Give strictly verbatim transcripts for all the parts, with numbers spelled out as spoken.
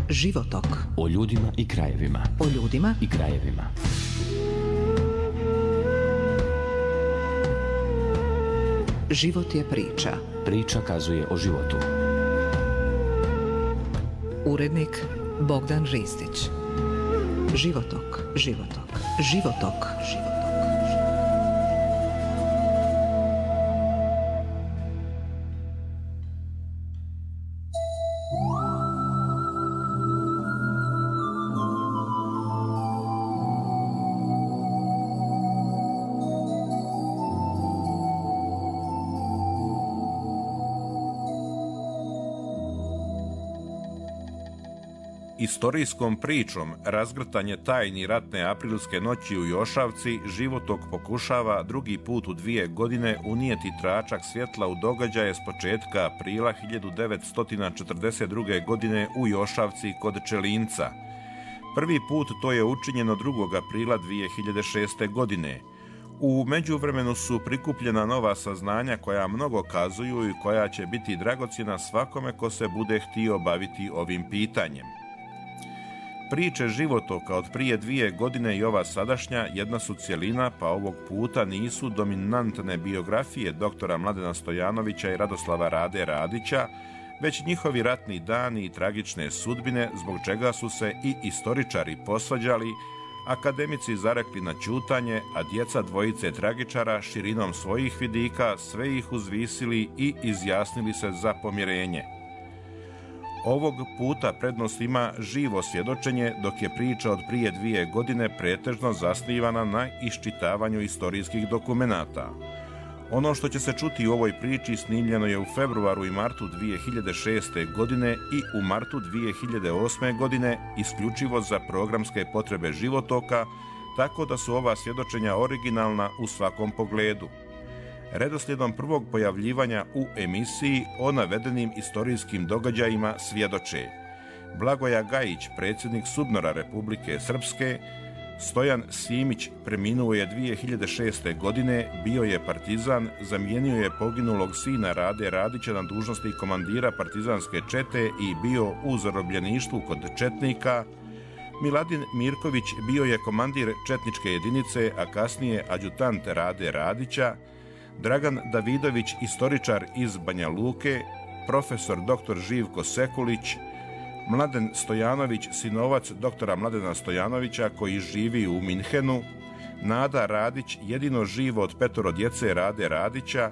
Životok. O ljudima i krajevima. O ljudima i krajevima. Život je priča. Priča kazuje o životu. Urednik Bogdan Ristić. Životok, životok, životok, životok. Istorijskom pričom razgrtanje tajni ratne aprilske noći u Jošavci Životok pokušava drugi put u dvije godine unijeti tračak svjetla u događaje s početka aprila hiljadu devetsto četrdeset druge. godine u Jošavci kod Čelinca. Prvi put to je učinjeno drugog aprila dvije hiljade šeste. godine. U međuvremenu su prikupljena nova saznanja koja mnogo kazuju i koja će biti dragocjena svakome ko se bude htio baviti ovim pitanjem. Priče Životoka od prije dvije godine i ova sadašnja jedna su cjelina, pa ovog puta nisu dominantne biografije doktora Mladena Stojanovića i Radoslava Rade Radića, već njihovi ratni dani i tragične sudbine, zbog čega su se i istoričari posvađali, akademici zarekli na ćutanje, a djeca dvojice tragičara širinom svojih vidika sve ih uzvisili i izjasnili se za pomirenje. Ovog puta prednost ima živo svjedočenje, dok je priča od prije dvije godine pretežno zasnivana na iščitavanju istorijskih dokumenata. Ono što će se čuti u ovoj priči snimljeno je u februaru i martu dvije hiljade šeste. godine i u martu dvije hiljade osme. godine isključivo za programske potrebe Životoka, tako da su ova svjedočenja originalna u svakom pogledu. Redoslijedom prvog pojavljivanja u emisiji o navedenim istorijskim događajima svjedoče Blagoja Gajić, predsjednik SUBNOR-a Republike Srpske, Stojan Simić preminuo je dvije hiljade šeste. godine, bio je partizan, zamijenio je poginulog sina Rade Radića na dužnosti komandira partizanske čete i bio u zarobljeništvu kod četnika. Miladin Mirković bio je komandir četničke jedinice, a kasnije adjutant Rade Radića. Dragan Davidović, istoričar iz Banja Luke, profesor doktor Živko Sekulić, Mladen Stojanović, sinovac doktora Mladena Stojanovića koji živi u Minhenu, Nada Radić, jedino živo od petoro djece Rade Radića,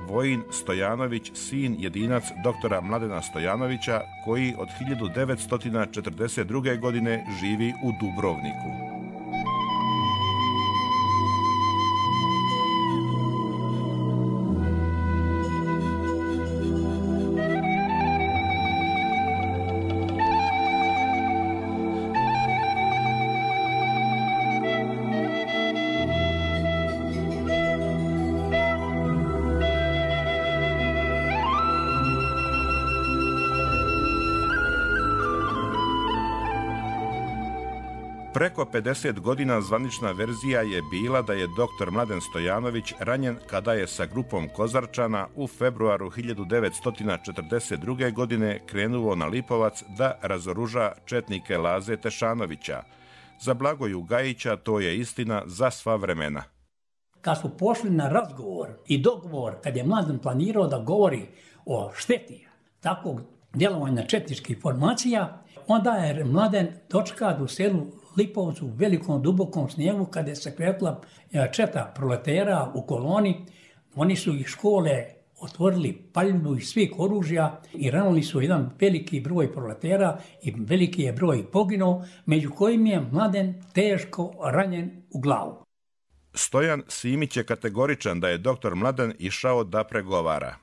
Vojin Stojanović, sin jedinac doktora Mladena Stojanovića koji od hiljadu devetsto četrdeset druge. godine živi u Dubrovniku. Preko pedeset godina zvanična verzija je bila da je doktor Mladen Stojanović ranjen kada je sa grupom Kozarčana u februaru hiljadu devetsto četrdeset druge. godine krenuo na Lipovac da razoruža četnike Laze Tešanovića. Za Blagoju Gajića to je istina za sva vremena. Kad su pošli na razgovor i dogovor, kad je Mladen planirao da govori o šteti takvog djelovanja četničkih formacija, onda je Mladen dočekan u selu Lipovcu u velikom dubokom snijegu kada je se kretla četa proletera u koloni. Oni su ih škole otvorili paljbu iz svih oružja i ranili su jedan veliki broj proletera i veliki je broj poginuo, među kojim je Mladen teško ranjen u glavu. Stojan Simić je kategoričan da je doktor Mladen išao da pregovara.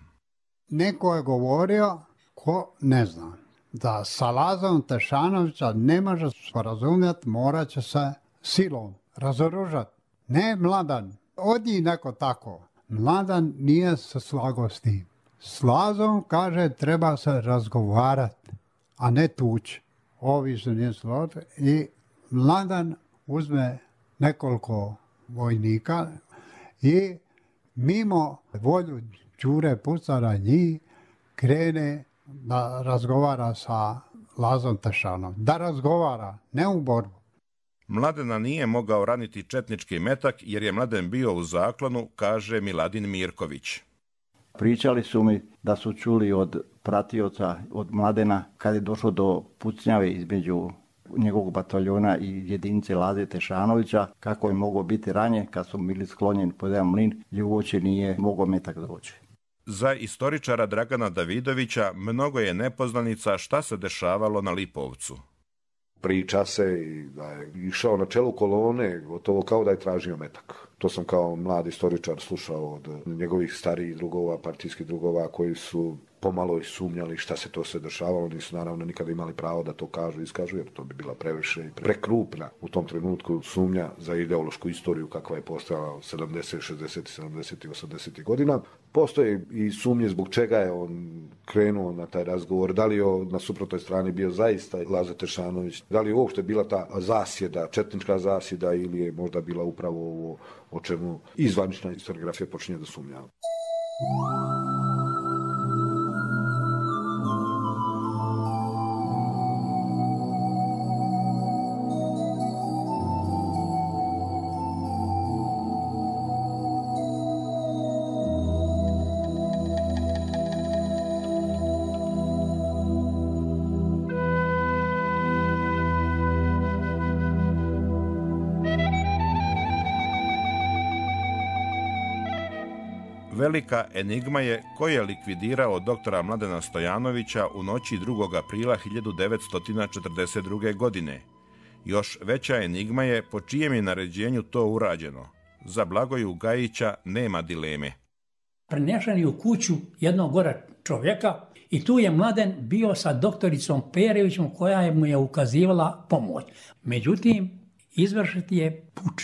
Neko je govorio, ko ne zna, da sa Lazom Tešanovića ne može sporazumjeti, morat će se silom razoružati. Ne Mladen, od njih neko tako. Mladen nije se slagao s tim. S Lazom, kaže, treba se razgovarati, a ne tući. Ovi se nije složili i Mladen uzme nekoliko vojnika i mimo volju Đure Pucara njih krene da razgovara sa Lazom Tešanović, da razgovara, ne u borbu. Mladena nije mogao raniti četnički metak jer je Mladen bio u zaklonu, kaže Miladin Mirković. Pričali su mi da su čuli od pratioca, od Mladena, kad je došlo do pucnjave između njegovog bataljona i jedinice Laze Tešanovića, kako je mogao biti ranjen kad su bili sklonjeni pod jedan mlin i uoči nije mogao metak doći. Za istoričara Dragana Davidovića mnogo je nepoznanica šta se dešavalo na Lipovcu. Priča se da je išao na čelu kolone, gotovo kao da je tražio metak. To sam kao mlad istoričar slušao od njegovih starijih drugova, partijskih drugova koji su pomalo i sumnjali šta se to sve dešavalo. Nisu naravno nikada imali pravo da to kažu i iskažu, jer to bi bila previše i prekrupna u tom trenutku sumnja za ideološku istoriju kakva je postojala sedamdeset, šezdeset, sedamdeset i osamdeset godina. Postoje i sumnje zbog čega je on krenuo na taj razgovor, da li je na suprotnoj strani bio zaista Laza Tešanović, da li je uopšte bila ta zasjeda, četnička zasjeda ili je možda bila upravo ovo o čemu i zvanična historiografija počinje da sumnja. Velika enigma je ko je likvidirao doktora Mladena Stojanovića u noći drugog aprila hiljadu devetsto četrdeset druge. godine. Još veća enigma je po čijem je naređenju to urađeno. Za Blagoju Gajića nema dileme. Prenešen je u kuću jednog gore čovjeka i tu je Mladen bio sa doktoricom Perevićom koja mu je ukazivala pomoć. Međutim, izvršiti je puč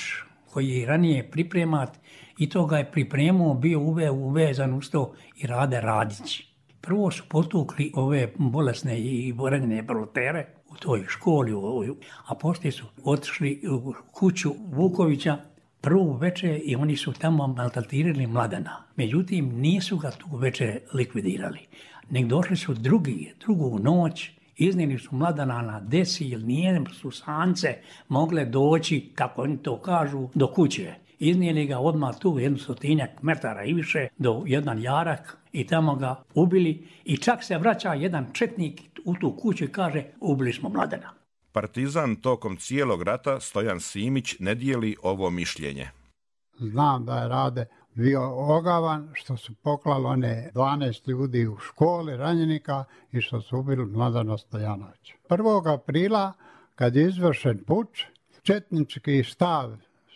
koji je ranije pripremat i to ga je pripremao, bio uve, uvezan uz to i Rade Radić. Prvo su potukli ove bolesne i ranjene proletere u toj školi, a poslije su otišli u kuću Vukovića prvu večer i oni su tamo maltretirali Mladena. Međutim, nisu ga tu večer likvidirali. Nek došli su drugi, drugu noć, iznijeli su Mladena na desi, jer nije su sance mogle doći, kako oni to kažu, do kuće. Iznijeli ga odmah tu jednu stotinjak metara i više do jedan jarak i tamo ga ubili i čak se vraća jedan četnik u tu kuću i kaže ubili smo Mladena. Partizan tokom cijelog rata Stojan Simić ne dijeli ovo mišljenje. Znam da je Rade bio ogavan što su poklali one dvanaest ljudi u školi ranjenika i što su ubili Mladena Stojanovića. prvog aprila kad je izvršen puč, četnički štab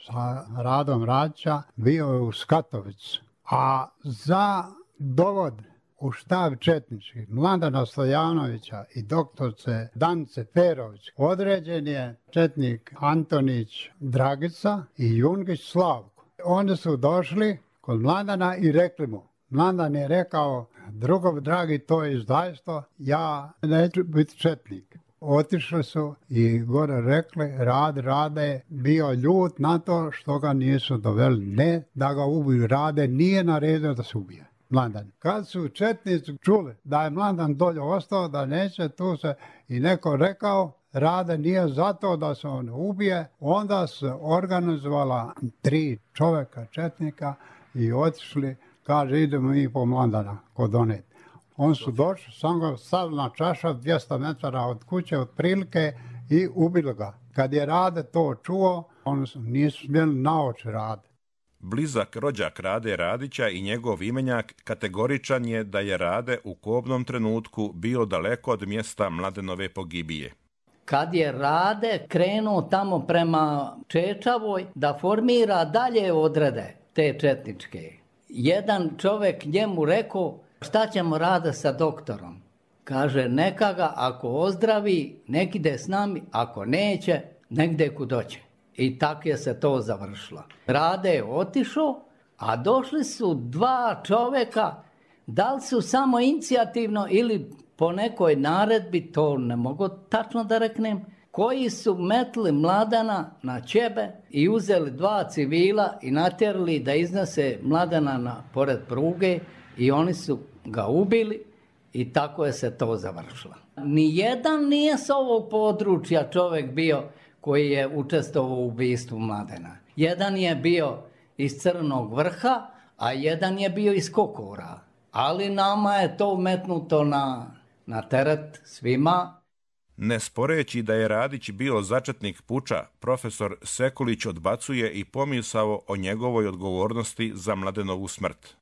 sa Radom Radića bio je u Skatovicu, a za dovod u štab četnički Mladena Stojanovića i doktorce Danice Perović određen je četnik Antonić Dragica i Jungić Slavko. Oni su došli kod Mladena i rekli mu, Mladen je rekao, drugov dragi, to je izdajstvo, ja neću biti četnik. Otišli su i gore rekli, Rad Rade bio ljut na to što ga nisu doveli, ne da ga ubiju. Rade nije naredio da se ubije Mladen. Kad su četnici čuli da je Mladen dolje ostao, da neće, tu se i neko rekao, Rade nije zato da se on ubije, onda se organizovala tri čovjeka četnika i otišli, kaže idemo mi po Mladena kod onet. On su došli, sam ga stavili na čaša dvjesto metara od kuće otprilike i ubili ga. Kad je Rade to čuo, oni nisu smjeli naoči Rade. Blizak rođak Rade Radića i njegov imenjak kategoričan je da je Rade u kobnom trenutku bio daleko od mjesta Mladenove pogibije. Kad je Rade krenuo tamo prema Čečavoj da formira dalje odrede te četničke, jedan čovjek njemu rekao, šta ćemo Rade sa doktorom? Kaže, neka ga ako ozdravi, nek ide s nami, ako neće, nek ide kud doće. I tako je se to završilo. Rade je otišao, a došli su dva čovjeka, da li su samo inicijativno ili po nekoj naredbi, to ne mogu tačno da reknem, koji su metli Mladena na ćebe i uzeli dva civila i natjerali da iznese Mladena na pored pruge i oni su ga ubili i tako je se to završilo. Nijedan nije s ovog područja čovjek bio koji je učestvovao u ubistvu Mladena. Jedan je bio iz Crnog Vrha, a jedan je bio iz Kokora. Ali nama je to umetnuto na, na teret svima. Ne sporeći da je Radić bio začetnik puča, profesor Sekulić odbacuje i pomisao o njegovoj odgovornosti za Mladenovu smrt.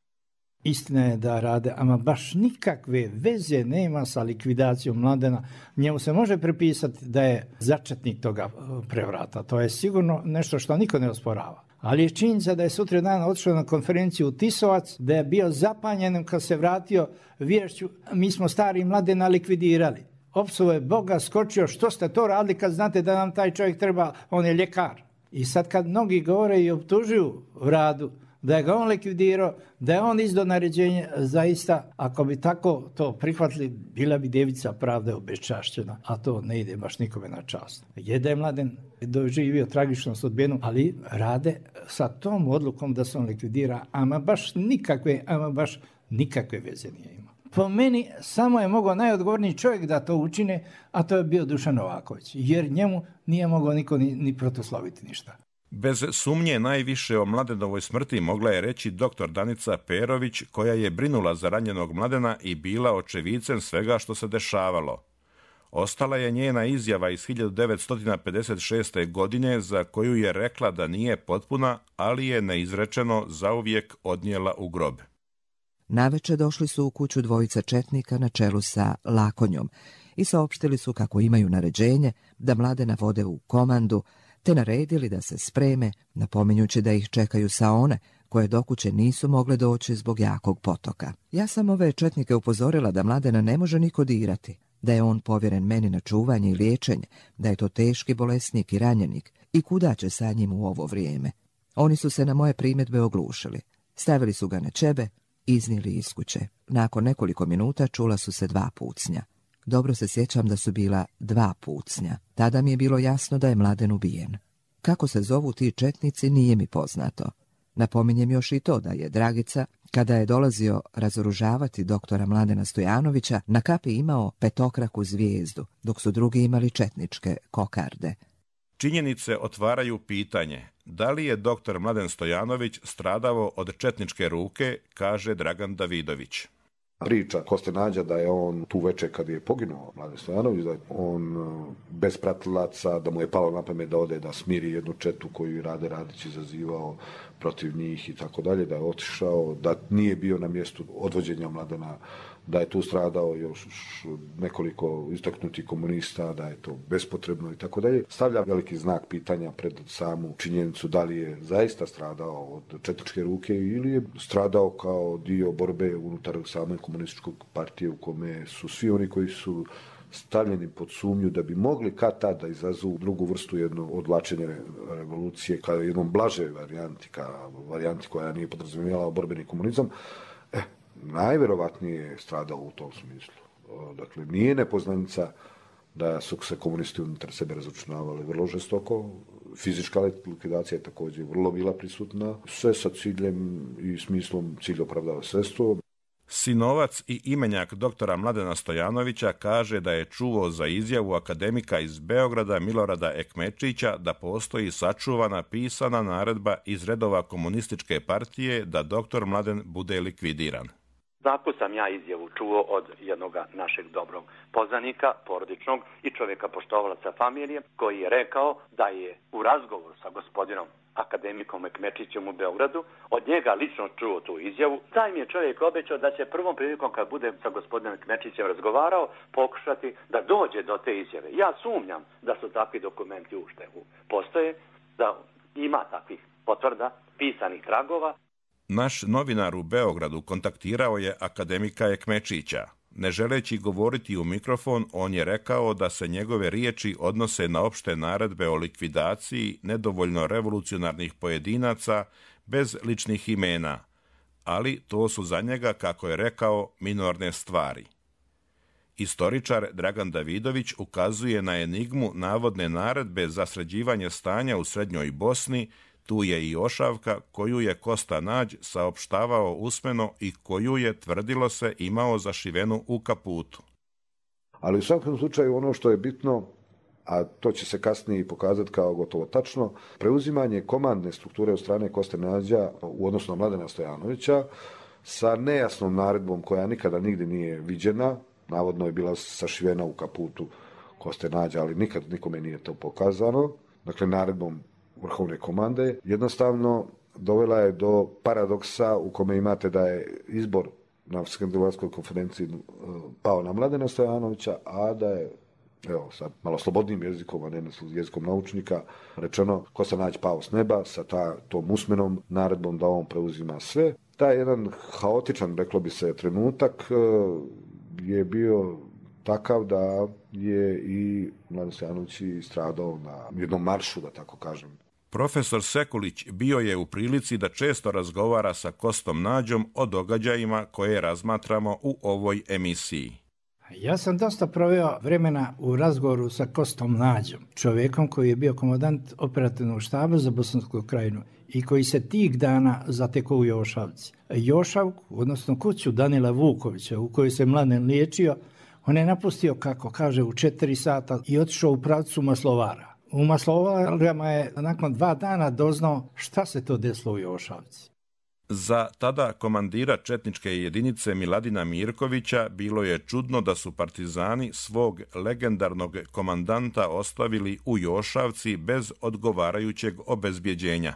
Istina je da Rade, ama baš nikakve veze nema sa likvidacijom Mladena. Njemu se može pripisati da je začetnik toga prevrata. To je sigurno nešto što niko ne osporava. Ali je činjenica da je sutra dan otišao na konferenciju u Tisovac, da je bio zapanjen kad se vratio viješću, mi smo stari Mladena likvidirali. Opsuo je Boga, skočio, što ste to radili kad znate da nam taj čovjek treba, on je ljekar. I sad kad mnogi govore i optužuju Radu, da je ga on likvidirao, da je on izdao naređenje, zaista, ako bi tako to prihvatili, bila bi devica pravda obečašćena, a to ne ide baš nikome na čast. Je da je Mladen doživio tragičnu sudbinu, ali Rade sa tom odlukom da se on likvidira, ama baš nikakve, ama baš nikakve veze nije imao. Po meni samo je mogao najodgovorniji čovjek da to učine, a to je bio Dušan Novaković, jer njemu nije mogao niko ni, ni protoslaviti ništa. Bez sumnje najviše o Mladenovoj smrti mogla je reći doktor Danica Perović, koja je brinula za ranjenog Mladena i bila očevicem svega što se dešavalo. Ostala je njena izjava iz hiljadu devetsto pedeset šeste. godine za koju je rekla da nije potpuna, ali je neizrečeno zauvijek odnijela u grob. Naveče došli su u kuću dvojica četnika na čelu sa Lakonjom i saopštili su kako imaju naređenje da Mladena vode u komandu, te naredili da se spreme, napominjući da ih čekaju saone, koje do kuće nisu mogle doći zbog jakog potoka. Ja sam ove četnike upozorila da Mladena ne može niko dirati, da je on povjeren meni na čuvanje i liječenje, da je to teški bolesnik i ranjenik i kuda će sa njim u ovo vrijeme. Oni su se na moje primjedbe oglušili. Stavili su ga na ćebe, iznijeli iz kuće. Nakon nekoliko minuta čula su se dva pucnja. Dobro se sjećam da su bila dva pucnja. Tada mi je bilo jasno da je Mladen ubijen. Kako se zovu ti četnici nije mi poznato. Napominjem još i to da je Dragica, kada je dolazio razoružavati doktora Mladena Stojanovića, na kapi imao petokraku zvijezdu, dok su drugi imali četničke kokarde. Činjenice otvaraju pitanje da li je doktor Mladen Stojanović stradao od četničke ruke, kaže Dragan Davidović. Priča Koste Nađa da je on tu večer kad je poginuo Mladen Stojanović, da je on bez pratilaca, da mu je palo na pamet da ode da smiri jednu četu koju Rade Radić izazivao protiv njih i tako dalje, da je otišao, da nije bio na mjestu odvođenja Mladena, da je tu stradao još nekoliko istaknutih komunista, da je to bespotrebno i tako dalje. Stavlja veliki znak pitanja pred samu činjenicu da li je zaista stradao od četničke ruke ili je stradao kao dio borbe unutar same komunističke partije u kome su svi oni koji su stavljeni pod sumnju da bi mogli kad tad da izazovu drugu vrstu jedno odvlačenje revolucije kao jednom blaže varijanti, kao varijanti koja nije podrazumijevala borbeni komunizam, eh, najvjerovatnije je stradao u tom smislu. Dakle, nije nepoznanica da su se komunisti unutar sebe razočunavali vrlo žestoko, fizička likvidacija je također vrlo bila prisutna, sve sa ciljem i smislom cilj opravdava sredstvo. Sinovac i imenjak doktora Mladena Stojanovića kaže da je čuo za izjavu akademika iz Beograda Milorada Ekmečića da postoji sačuvana pisana naredba iz redova komunističke partije da doktor Mladen bude likvidiran. Tako sam ja izjavu čuo od jednog našeg dobrog poznanika, porodičnog i čovjeka poštovalaca familije, koji je rekao da je u razgovoru sa gospodinom akademikom Ekmečićem u Beogradu od njega lično čuo tu izjavu. Taj mi je čovjek obećao da će prvom prilikom kad bude sa gospodinom Ekmečićem razgovarao pokušati da dođe do te izjave. Ja sumnjam da su takvi dokumenti ušte postoje, da ima takvih potvrda, pisanih tragova. Naš novinar u Beogradu kontaktirao je akademika Ekmečića. Ne želeći govoriti u mikrofon, on je rekao da se njegove riječi odnose na opšte naredbe o likvidaciji nedovoljno revolucionarnih pojedinaca bez ličnih imena, ali to su za njega, kako je rekao, minorne stvari. Istoričar Dragan Davidović ukazuje na enigmu navodne naredbe za sređivanje stanja u Srednjoj Bosni. Tu je i ošavka koju je Kosta Nađ saopštavao usmeno i koju je, tvrdilo se, imao zašivenu u kaputu. Ali u svakom slučaju ono što je bitno, a to će se kasnije i pokazati kao gotovo tačno, preuzimanje komandne strukture od strane Koste Nađa u odnosu na Mladena Stojanovića sa nejasnom naredbom koja nikada nigdje nije viđena, navodno je bila sašivena u kaputu Koste Nađa, ali nikad nikome nije to pokazano, dakle naredbom vrhovne komande, jednostavno dovela je do paradoksa u kome imate da je izbor na Skandinavskoj konferenciji pao na Mladena Stojanovića, a da je, evo sad malo slobodnim jezikom, a ne jezikom naučnika, rečeno Kosta Nađ pao s neba sa ta, tom usmenom naredbom da on preuzima sve. Taj jedan haotičan, reklo bi se, trenutak je bio takav da je i Mladen Stojanović stradao na jednom maršu, da tako kažem. Profesor Sekulić bio je u prilici da često razgovara sa Kostom Nađom o događajima koje razmatramo u ovoj emisiji. Ja sam dosta proveo vremena u razgovoru sa Kostom Nađom, čovjekom koji je bio komandant operativnog štaba za Bosansku krajinu i koji se tih dana zatekao u Jošavci. Jošavku, odnosno kuću Danila Vukovića u kojoj se Mladen liječio, on je napustio, kako kaže, u četiri sata i otišao u pravcu Maslovara. U Maslovarama je nakon dva dana doznao šta se to desilo u Jošavci. Za tada komandira četničke jedinice Miladina Mirkovića bilo je čudno da su partizani svog legendarnog komandanta ostavili u Jošavci bez odgovarajućeg obezbjeđenja.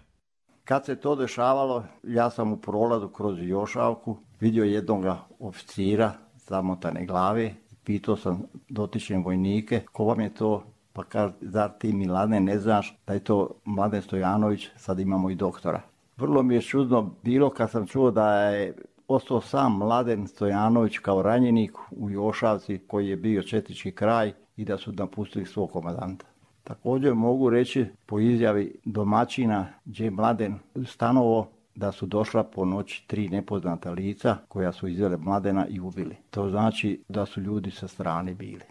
Kad se to dešavalo, ja sam u prolazu kroz Jošavku vidio jednog oficira zamotane glave. Pitao sam dotične vojnike, ko vam je to? Pa kaže, zar ti Milane ne znaš da je to Mladen Stojanović, sad imamo i doktora. Vrlo mi je čudno bilo kad sam čuo da je ostao sam Mladen Stojanović kao ranjenik u Jošavci koji je bio četnički kraj i da su napustili svog komandanta. Također mogu reći po izjavi domaćina gdje je Mladen stanovo da su došla po noći tri nepoznata lica koja su izvele Mladena i ubili. To znači da su ljudi sa strane bili.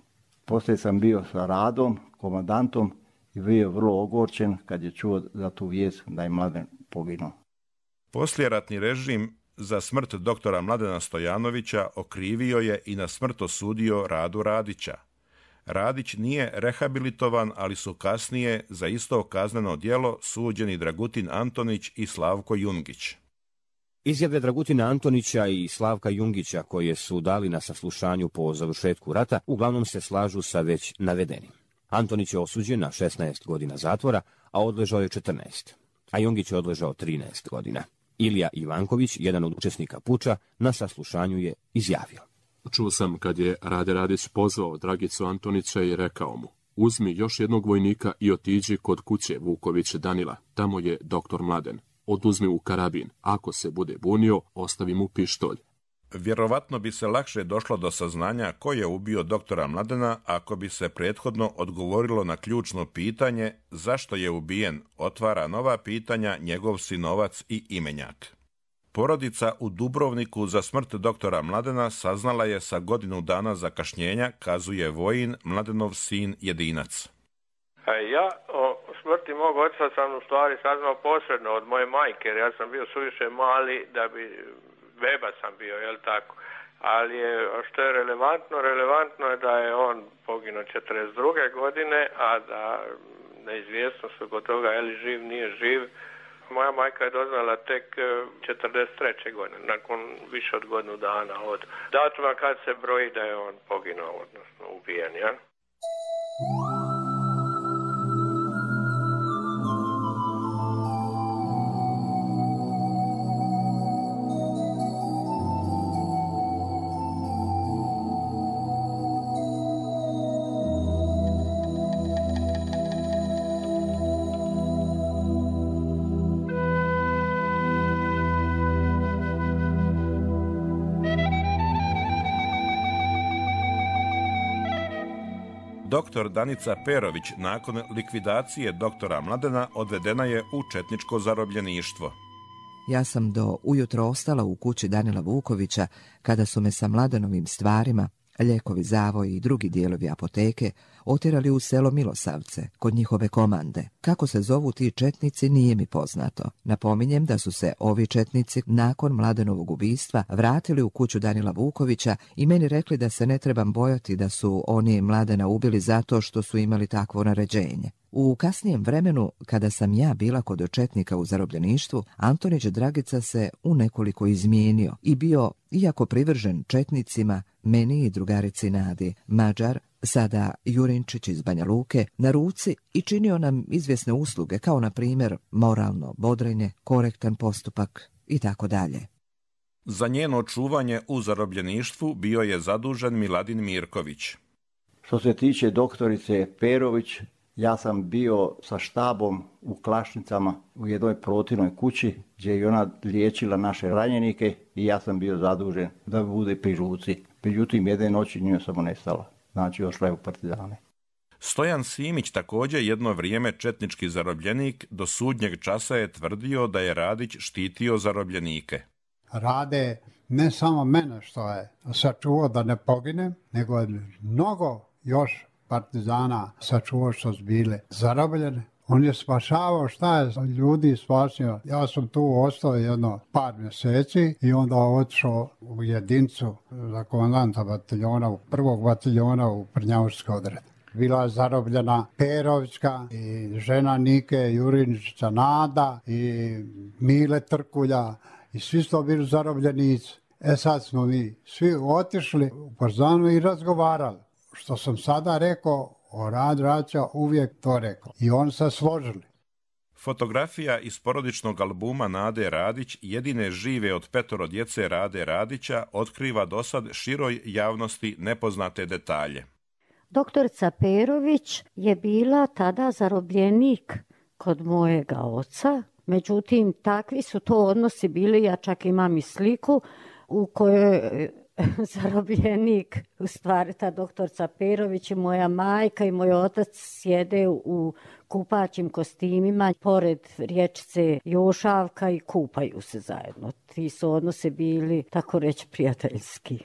Poslije sam bio sa Radom, komandantom, i bio je vrlo ogorčen kad je čuo za tu vijest da je Mladen poginuo. Poslijeratni režim za smrt doktora Mladena Stojanovića okrivio je i na smrt osudio Radu Radića. Radić nije rehabilitovan, ali su kasnije za isto kazneno djelo suđeni Dragutin Antonić i Slavko Jungić. Izjave Dragutina Antonića i Slavka Jungića koje su dali na saslušanju po završetku rata uglavnom se slažu sa već navedenim. Antonić je osuđen na šesnaest godina zatvora, a odležao je četrnaest, a Jungić je odležao trinaest godina. Ilija Ivanković, jedan od učesnika puča, na saslušanju je izjavio. Čuo sam kad je Rade Radić pozvao Dragicu Antonića i rekao mu: uzmi još jednog vojnika i otiđi kod kuće Vuković Danila, tamo je doktor Mladen. Oduzmi u karabin, ako se bude bunio, ostavi mu pištolj. Vjerovatno bi se lakše došlo do saznanja ko je ubio doktora Mladena ako bi se prethodno odgovorilo na ključno pitanje zašto je ubijen, otvara nova pitanja njegov sinovac i imenjak. Porodica u Dubrovniku za smrt doktora Mladena saznala je sa godinu dana zakašnjenja, kazuje Vojin, Mladenov sin Jedinac. Ja o smrti mog oca sam u stvari saznao posredno od moje majke, jer ja sam bio suviše mali da bi, beba sam bio, jel tako? Ali je, što je relevantno, relevantno je da je on poginuo četrdeset druge godine, a da neizvjesnost oko toga je li živ, nije živ. Moja majka je doznala tek četrdeset treće godine, nakon više od godinu dana od datuma kad se broji da je on poginuo, odnosno ubijen, jel? Doktor Danica Perović nakon likvidacije doktora Mladena odvedena je u četničko zarobljeništvo. Ja sam do ujutro ostala u kući Danila Vukovića kada su me sa Mladenovim stvarima, ljekovi, zavoji i drugi dijelovi apoteke otjerali u selo Milosavce, kod njihove komande. Kako se zovu ti četnici nije mi poznato. Napominjem da su se ovi četnici nakon Mladenovog ubistva vratili u kuću Danila Vukovića i meni rekli da se ne trebam bojati da su oni Mladena ubili zato što su imali takvo naređenje. U kasnijem vremenu, kada sam ja bila kod četnika u zarobljeništvu, Antonić Dragica se u nekoliko izmijenio i bio, iako privržen četnicima, meni i drugarici Nadi, Mađar, sada Jurinčić iz Banja Luke, na ruci i činio nam izvjesne usluge, kao na primjer moralno bodrenje, korektan postupak i tako dalje. Za njeno čuvanje u zarobljeništvu bio je zadužen Miladin Mirković. Što se tiče doktorice Perović, ja sam bio sa štabom u Klašnicama u jednoj protivnoj kući gdje je ona liječila naše ranjenike i ja sam bio zadužen da bude pri ruci. Međutim, jedne noći njoj samo nestala. Znači, ošla je u partizane. Stojan Simić, također jedno vrijeme četnički zarobljenik, do sudnjeg časa je tvrdio da je Radić štitio zarobljenike. Rade ne samo mene što je sačuvao da ne poginem, nego je mnogo još partizana sačuvao što su bile zarobljene. On je spašavao šta je ljudi spasio. Ja sam tu ostao jedno par mjeseci i onda otišao u jedincu za komandanta bataljona, prvog bataljona u Prnjavurski odred. Bila je zarobljena Perovićka i žena Nike Jurinčića Nada i Mile Trkulja i svi su to bili zarobljenici. E sad smo mi svi otišli u Partizanu i razgovarali. Što sam sada rekao, o Rad Raća uvijek to rekao. I oni se složili. Fotografija iz porodičnog albuma Nade Radić, jedine žive od petoro djece Rade Radića, otkriva dosad široj javnosti nepoznate detalje. Doktorica Perović je bila tada zarobljenik kod mojega oca. Međutim, takvi su to odnosi bili, ja čak imam i sliku u kojoj zarobljenik, u stvari ta doktorica Perović i moja majka i moj otac sjede u kupaćim kostimima pored riječice Jošavka i kupaju se zajedno. Ti su odnose bili, tako reći, prijateljski.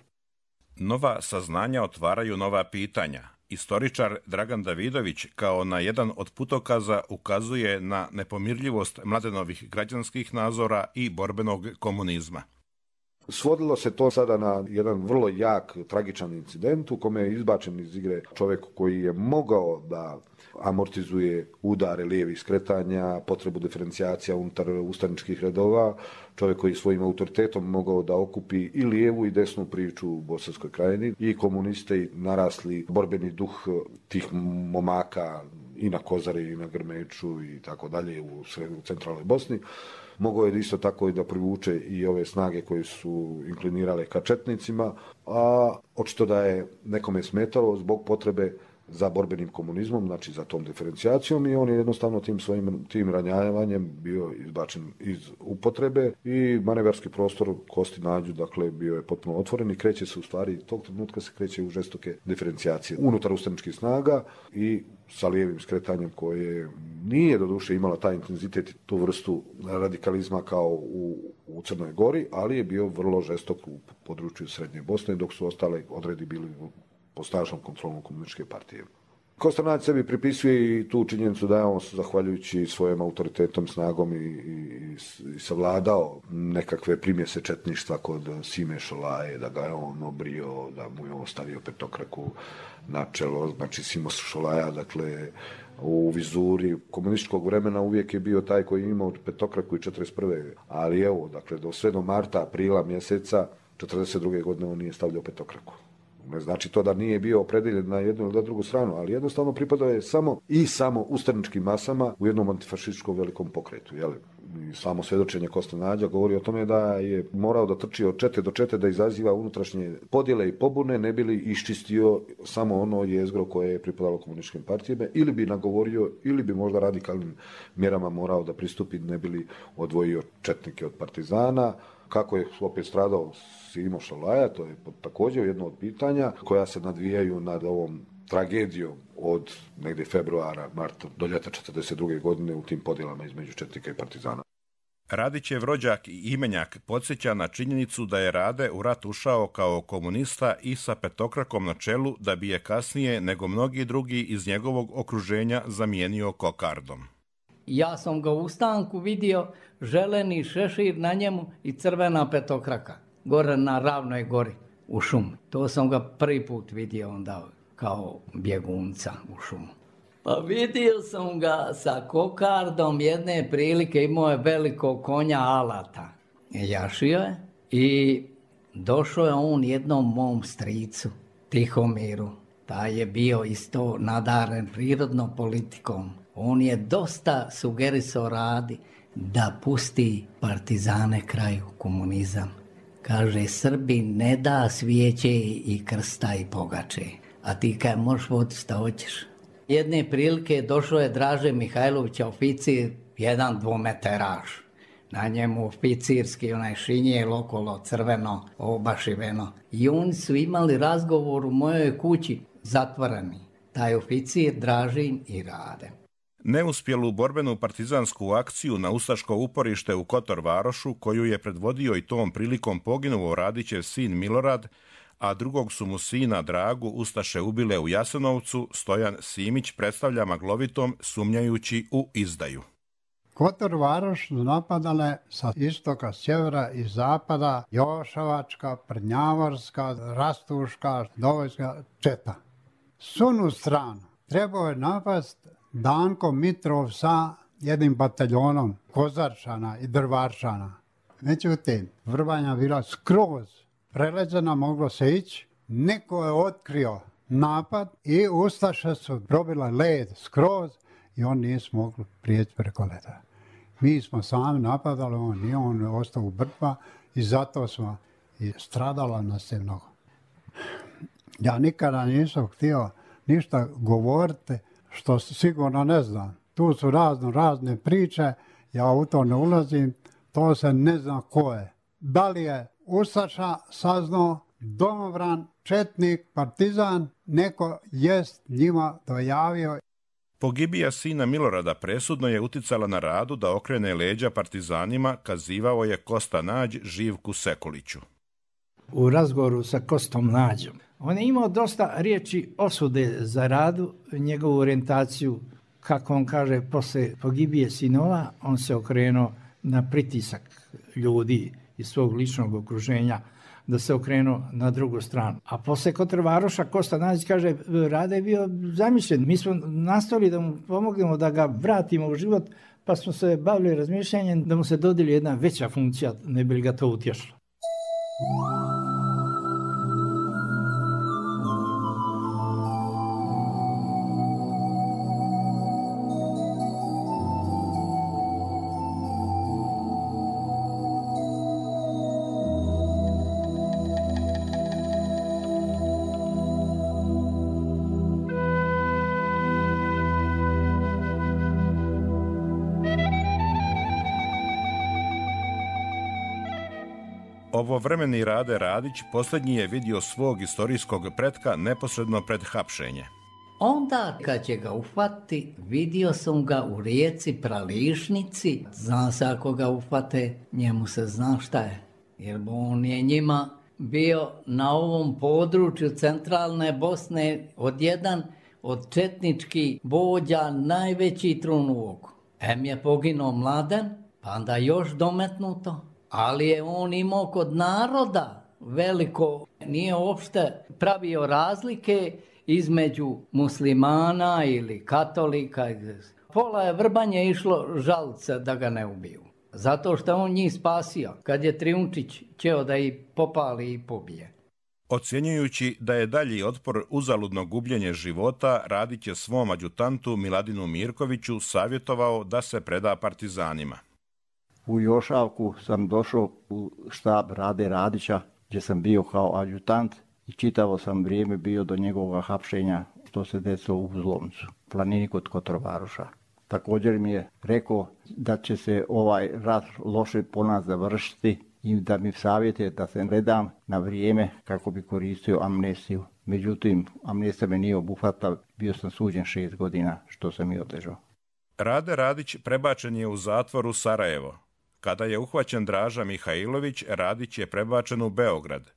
Nova saznanja otvaraju nova pitanja. Istoričar Dragan Davidović kao na jedan od putokaza ukazuje na nepomirljivost Mladenovih građanskih nazora i borbenog komunizma. Svodilo se to sada na jedan vrlo jak, tragičan incident u kome je izbačen iz igre čovjek koji je mogao da amortizuje udare lijevih skretanja, potrebu diferencijacija unutar ustaničkih redova, čovjek koji svojim autoritetom mogao da okupi i lijevu i desnu priču u Bosanskoj krajini i komuniste i narasli borbeni duh tih momaka i na Kozari i na Grmeču i tako dalje u centralnoj Bosni. Mogao je isto tako i da privuče i ove snage koje su inklinirale ka četnicima, a očito da je nekome smetalo zbog potrebe za borbenim komunizmom, znači za tom diferencijacijom i on je jednostavno tim svojim tim ranjavanjem bio izbačen iz upotrebe i manevarski prostor Kosti Nađu, dakle, bio je potpuno otvoren i kreće se u stvari, tog trenutka se kreće u žestoke diferencijacije unutar ustaničkih snaga i sa lijevim skretanjem koje nije doduše imala taj intenzitet i tu vrstu radikalizma kao u, u Crnoj Gori, ali je bio vrlo žestok u području Srednje Bosne, dok su ostale odredi bili pod snažnom kontrolom komunističke partije. Kosta Nađ sebi pripisuje i tu činjenicu da je on, zahvaljujući svojim autoritetom, snagom i, i, i savladao nekakve primjese četništva kod Sime Šolaje, da ga je on obrio, da mu je on stavio petokraku na čelo, znači Simo Šolaja, dakle, u vizuri komunističkog vremena uvijek je bio taj koji je imao petokraku i četrdeset prve. Ali evo, dakle, do sve do marta, aprila mjeseca četrdeset druge godine on nije stavljao petokraku. Ne znači to da nije bio opredeljen na jednu ili na drugu stranu, ali jednostavno pripadao je samo i samo ustaničkim masama u jednom antifašističkom velikom pokretu. Jel? I samo svjedočenje Koste Nađa govori o tome da je morao da trči od čete do čete, da izaziva unutrašnje podjele i pobune, ne bi li iščistio samo ono jezgro koje je pripadalo komunističkim partijama, ili bi nagovorio, ili bi možda radikalnim mjerama morao da pristupi, ne bi li odvojio četnike od partizana. Kako je opet stradao Simo Šolaja, to je također jedno od pitanja koja se nadvijaju nad ovom tragedijom od negdje februara, marta do ljeta četrdeset druge godine u tim podjelama između četnika i partizana. Radićev rođak i imenjak podsjeća na činjenicu da je Rade u rat ušao kao komunista i sa petokrakom na čelu, da bi je kasnije nego mnogi drugi iz njegovog okruženja zamijenio kokardom. Ja sam ga u ustanku vidio, želeni šešir na njemu i crvena petokraka, gore na Ravnoj gori u šumu. To sam ga prvi put vidio onda kao bjegunca u šumu. Pa vidio sam ga sa kokardom jedne prilike, imao je velikog konja alata. Jašio je i došao je on jednom mom stricu, Tihomiru. Taj je bio isto nadaren prirodno politikom. On je dosta sugerisao Radi da pusti partizane kraju, komunizam. Kaže, Srbi ne da svijeće i krsta i pogače, a ti kaj možeš voditi šta hoćeš. Jedne prilike došao je Draže Mihajlovića, oficir, jedan dvometeraš. Na njemu oficirski, onaj šinjel okolo, crveno, obašiveno. I oni su imali razgovor u mojoj kući, zatvoreni. Taj oficir, Dražin i Rade. Neuspjelu borbenu partizansku akciju na ustaško uporište u Kotor Varošu, koju je predvodio i tom prilikom poginuo Radićev sin Milorad, a drugog su mu sina Dragu ustaše ubile u Jasenovcu, Stojan Simić predstavlja maglovitom, sumnjajući u izdaju. Kotor Varoš su napadale sa istoka, sjevera i zapada Jošavačka, Prnjavorska, Rastuška, Dovojska četa. Sunu stranu trebao je napast Danko Mitrov sa jednim bataljonom Kozarčana i Drvarčana. Međutim, Vrbanja bila skroz preleđena, moglo se ići. Neko je otkrio napad i ustaše su probile led skroz i on nije mogli prijeći preko leda. Mi smo sami napadali, on nije, on je ostao u Brtva i zato smo i stradala nas je mnogo. Ja nikada nisam htio ništa govoriti što sigurno ne znam. Tu su razno razne priče, ja u to ne ulazim, to se ne zna ko je. Da li je ustaša saznao, domobran, četnik, partizan, neko jest njima dojavio. Pogibija sina Milorada presudno je uticala na Radu da okrene leđa partizanima, kazivao je Kosta Nađ Živku Sekuliću. U razgovoru sa Kostom Nađom, on je imao dosta riječi osude za Radu, njegovu orijentaciju, kako on kaže, posle pogibije sinova, on se okrenuo na pritisak ljudi iz svog ličnog okruženja, da se okrenuo na drugu stranu. A posle Kotor Varoša, Kosta Nađ kaže, Rade je bio zamišljen. Mi smo nastavili da mu pomognemo da ga vratimo u život, pa smo se bavili razmišljanjem da mu se dodijeli jedna veća funkcija, ne bi li ga to utješilo. Ovovremeni Rade Radić posljednji je vidio svog istorijskog pretka neposredno pred hapšenje. Onda kad će ga uhvatiti, vidio sam ga u rijeci Prališnici. Zna se ako ga uhvate, njemu se zna šta je. Jer on je njima bio na ovom području centralne Bosne od jedan od četničkih vođa najveći trun u oku. Em je poginuo Mladen, pa onda još dometnuto. Ali je on imao kod naroda veliko, nije uopšte pravio razlike između muslimana ili katolika. Pola je Vrbanje išlo žalce da ga ne ubiju. Zato što on njih spasio, kad je Trijunčić ćeo da ih popali i pobije. Ocjenjujući da je dalji otpor uzaludno gubljenje života, Radić je svom adjutantu Miladinu Mirkoviću savjetovao da se preda partizanima. U Jošavku sam došao u štab Rade Radića, gdje sam bio kao adjutant i čitavo sam vrijeme bio do njegovog hapšenja što se desilo u Uzlomcu, planini kod Kotor Varoša. Također mi je rekao da će se ovaj rat loše po nas završiti i da mi savjetuje da se ne dam na vrijeme kako bi koristio amnestiju. Međutim, amnestija me nije obuhvatila, bio sam suđen šest godina što sam i odležao. Rade Radić prebačen je u zatvor u Sarajevo. Kada je uhvaćen Draža Mihajlović, Radić je prebačen u Beograd.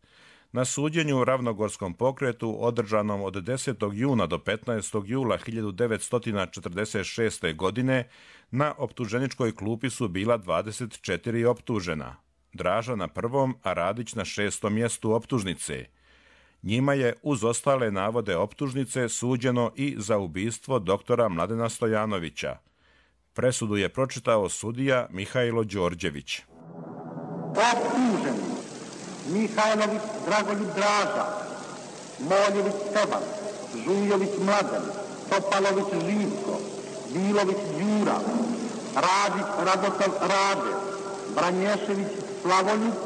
Na suđenju u Ravnogorskom pokretu, održanom od desetog juna do petnaestog jula hiljadu devetsto četrdeset šeste. godine, na optuženičkoj klupi su bila dvadeset četiri optužena. Draža na prvom, a Radić na šestom mjestu optužnice. Njima je, uz ostale navode optužnice, suđeno i za ubistvo doktora Mladena Stojanovića. Presudu je pročitao sudija Mihajlo Đorđević. Optuženi Mihajlović Dragoljub Draža, Moljević Stevan, Žujović Mladen, Topalović Živko, Bilović Đura, Radić Radoslav Rade, Branješević Slavoljub,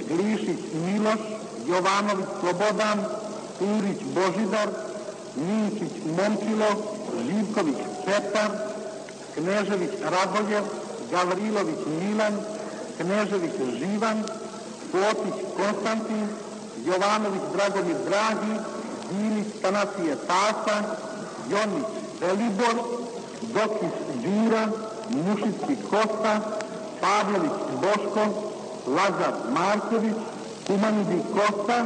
Glišić Miloš, Jovanović Slobodan, Turić Božidar, Minčić Momčilo, Živković Petar, Knežević Radoje, Gavrilović Milan, Knežević Živan, Potić Konstantin, Jovanović Dragomir Dragi, Dilić Tanasije Tasa, Jonić Velibor, Dokis Đura, Mušicki Kosta, Pavlović Boško, Lazar Marković, Kumanidi Kosta,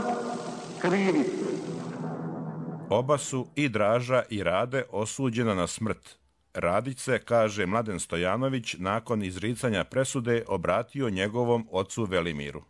krivi. Oba su, i Draža i Rade, osuđena na smrt. Radić se, kaže Mladen Stojanović, nakon izricanja presude obratio njegovom ocu Velimiru.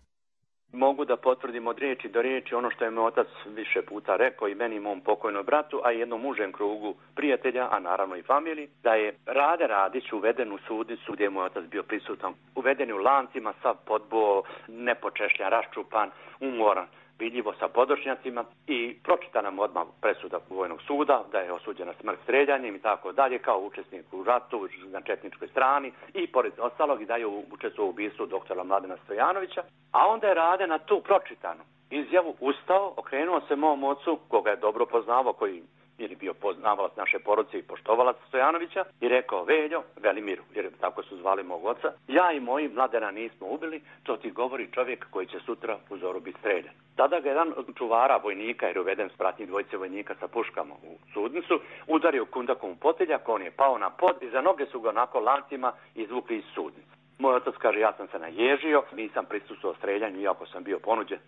Mogu da potvrdim od riječi do riječi ono što je moj otac više puta rekao i meni i mom pokojnom bratu, a i jednom užem krugu prijatelja, a naravno i familiji, da je Rade Radić uveden u sudnicu gdje je moj otac bio prisutan. Uveden u lancima, sav podbo, nepočešljan, raščupan, umoran, vidljivo sa podočnjacima i pročita nam odmah presuda Vojnog suda da je osuđen na smrt streljanjem i tako dalje kao učesnik u ratu na četničkoj strani i pored ostalog i da je učestvovao u ubistvu doktora Mladena Stojanovića, a onda je Rade na tu pročitanu izjavu ustao, okrenuo se mom ocu, koga je dobro poznavao, koji ili bio poznavalac naše porodice i poštovalac Stojanovića, i rekao: Veljo, Velimiru, jer tako su zvali mog oca, ja i moji Mladena nismo ubili, to ti govori čovjek koji će sutra u zoru biti streljan. Tada ga jedan od čuvara vojnika, jer je uveden s pratnji dvojice vojnika sa puškama u sudnicu, udario kundakom u poteljak, on je pao na pod i za noge su ga onako lancima izvukli iz sudnice. Moj otac kaže: ja sam se naježio, nisam prisustvovao streljanju iako sam bio ponuđen.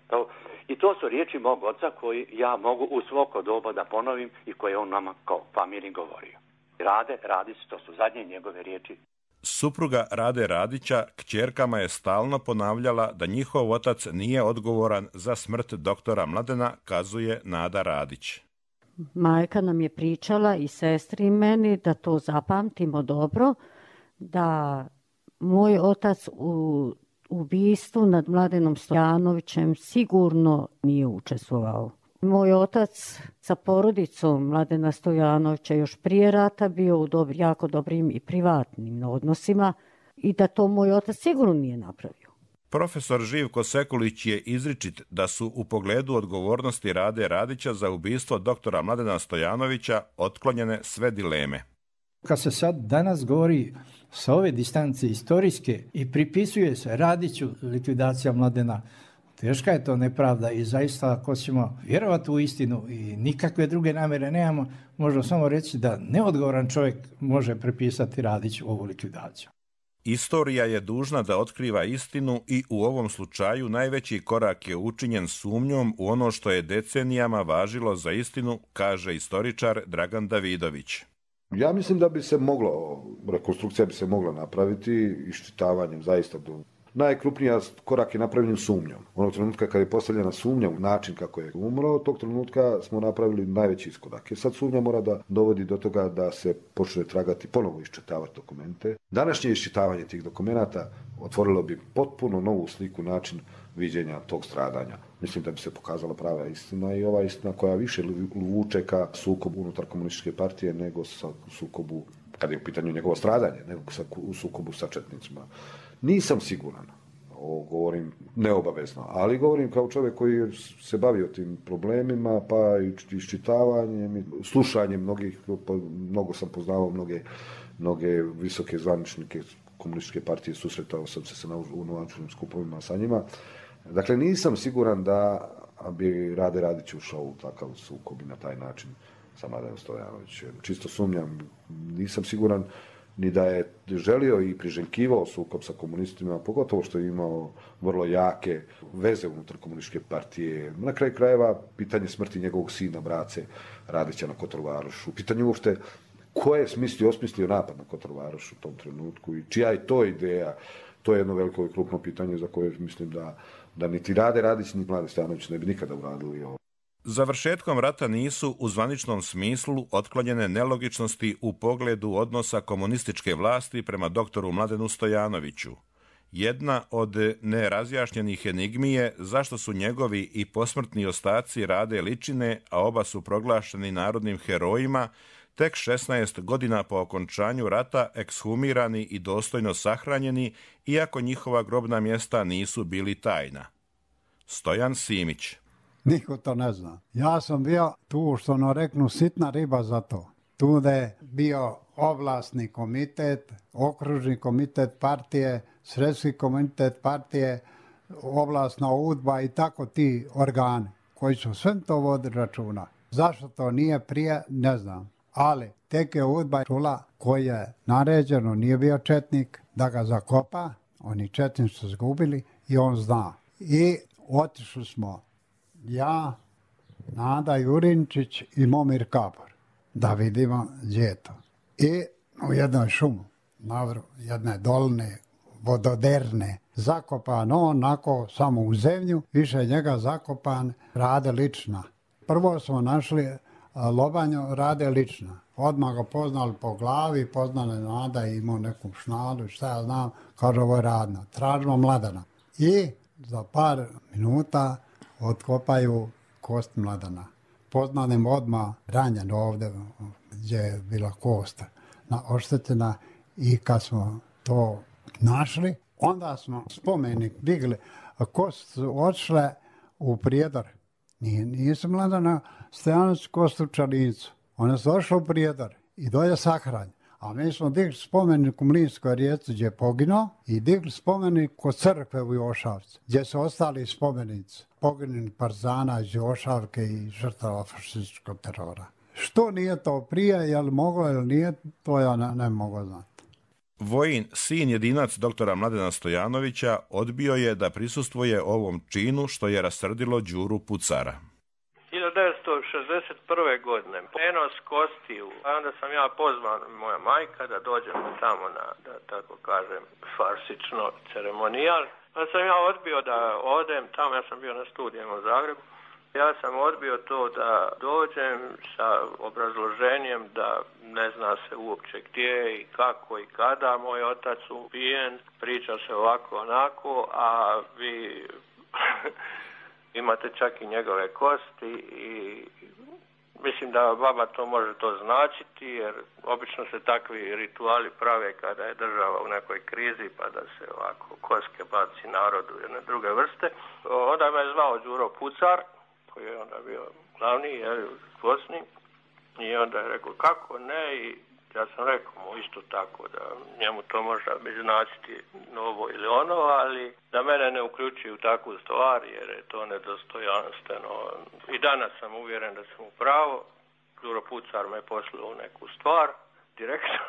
I to su riječi mog oca koji ja mogu u svako doba da ponovim i koje on nama kao familiji govorio. Rade Radić, to su zadnje njegove riječi. Supruga Rade Radića kćerkama je stalno ponavljala da njihov otac nije odgovoran za smrt doktora Mladena, kazuje Nada Radić. Majka nam je pričala i sestri i meni da to zapamtimo dobro, da moj otac u ubistvu nad Mladenom Stojanovićem sigurno nije učestvovao. Moj otac sa porodicom Mladena Stojanovića još prije rata bio u dobri, jako dobrim i privatnim odnosima i da to moj otac sigurno nije napravio. Profesor Živko Sekulić je izričit da su u pogledu odgovornosti Rade Radića za ubistvo doktora Mladena Stojanovića otklonjene sve dileme. Kad se sad danas govori sa ove distance istorijske i pripisuje se Radiću likvidacija Mladena, teška je to nepravda i zaista ako ćemo vjerovati u istinu i nikakve druge namjere nemamo, možemo samo reći da neodgovoran čovjek može pripisati Radiću ovu likvidaciju. Istorija je dužna da otkriva istinu i u ovom slučaju najveći korak je učinjen sumnjom u ono što je decenijama važilo za istinu, kaže istoričar Dragan Davidović. Ja mislim da bi se moglo, rekonstrukcija bi se mogla napraviti iščitavanjem zaista do... Najkrupnija korak je napravljen sumnjom. Onog trenutka kad je postavljena sumnja u način kako je umro, tog trenutka smo napravili najveći iskorak. Jer sad sumnja mora da dovodi do toga da se počne tragati, ponovo iščitavati dokumente. Današnje iščitavanje tih dokumenata otvorilo bi potpuno novu sliku, način viđenja tog stradanja. Mislim da bi se pokazala prava istina i ova istina koja više vuče ka sukobu unutar komunističke partije nego sa sukobu, kad je u pitanju njegovo stradanje, nego sa, u sukobu sa četnicima. Nisam siguran, ovo govorim neobavezno, ali govorim kao čovjek koji se bavio tim problemima, pa i iščitavanjem, slušanjem mnogih, mnogo sam poznavao mnoge, mnoge visoke zvaničnike komunističke partije, susretao sam se na unovačnim skupovima sa njima. Dakle, nisam siguran da bi Rade Radić ušao u takav sukob i na taj način sa Mladenom Stojanovićem. Čisto sumnjam, nisam siguran ni da je želio i priželjkivao sukob sa komunistima, pogotovo što je imao vrlo jake veze unutar komunističke partije. Na kraju krajeva, pitanje smrti njegovog sina, brace Radića na Kotor-Varoš. U pitanju uopšte ko je smislio, osmislio napad na Kotor-Varoš u tom trenutku i čija je to ideja, to je jedno veliko i krupno pitanje za koje mislim da, da niti Rade Radić, ni Mlade Stojanović ne bi nikada uradili ovo. Završetkom rata nisu u zvaničnom smislu otklonjene nelogičnosti u pogledu odnosa komunističke vlasti prema doktoru Mladenu Stojanoviću. Jedna od nerazjašnjenih enigmi je zašto su njegovi i posmrtni ostaci Rade Ličine, a oba su proglašeni narodnim herojima, tek šesnaest godina po okončanju rata ekshumirani i dostojno sahranjeni, iako njihova grobna mjesta nisu bili tajna. Stojan Simić. Niko to ne zna. Ja sam bio tu, što ono reknu, sitna riba za to. Tu da je bio oblasni komitet, okružni komitet partije, sredski komitet partije, oblasna udba i tako ti organi koji su sve to vodili računa. Zašto to nije prije, ne znam. Ali tek je udba čula koji je naređeno, nije bio četnik, da ga zakopa, oni četnici su zgubili i on zna. I otišli smo ja, Nada Jurinčić i Momir Kapor da vidimo gdje je to. I u jednoj šumu, navru jedne dolne, vododerne, zakopan on onako samo u zemlju, više njega zakopan Rade Lična. Prvo smo našli lobanju Rade Lična. Odmah ga poznali po glavi, poznali Nada i imao neku šnalu, šta ja znam, kaže ovo je Radna. Tražimo Mladena. I za par minuta otkopaju kost Mladena. Poznanim odmah ranjen ovdje gdje je bila kost oštećena i kad smo to našli, onda smo spomenik digli. Kost su odšle u Prijedor. Nije, nisu Mladena Stojanović kost u Čarincu. One su došle u Prijedor i dolje sahranj. A mi smo digli spomenik u Mlinskoj Rijeci gdje je poginuo i digli spomenik kod crkve u Jošavcu gdje su ostali spomenici poginulih partizana iz Jošavke i žrtava fašističkog terora. Što nije to prije, je li moglo ili nije, to ja ne, ne mogu znati. Vojin, sin jedinac doktora Mladena Stojanovića, odbio je da prisustvuje ovom činu što je rasrdilo Đuru Pucara. hiljadu devetsto šezdeset prve. godine prenos kostiju, a onda sam ja pozvan, moja majka, da dođemo tamo na, da tako kažem, farsično ceremonijal. Pa sam ja odbio da odem tamo, ja sam bio na studijama u Zagrebu. Ja sam odbio to da dođem sa obrazloženjem da ne zna se uopće gdje i kako i kada. Moj otac ubijen, priča se ovako onako, a vi imate čak i njegove kosti i mislim da baba to može to značiti, jer obično se takvi rituali prave kada je država u nekoj krizi pa da se ovako koske baci narodu jedne druge vrste. Onda me je zvao Đuro Pucar, koji je onda bio glavni, jer u Bosni, i onda je rekao kako ne, i ja sam rekao mu isto tako da njemu to možda bi značiti novo ili ono, ali da mene ne uključi u takvu stvar jer je to nedostojanstveno. I danas sam uvjeren da sam u pravu. Đuro Pucar me poslao u neku stvar direktno.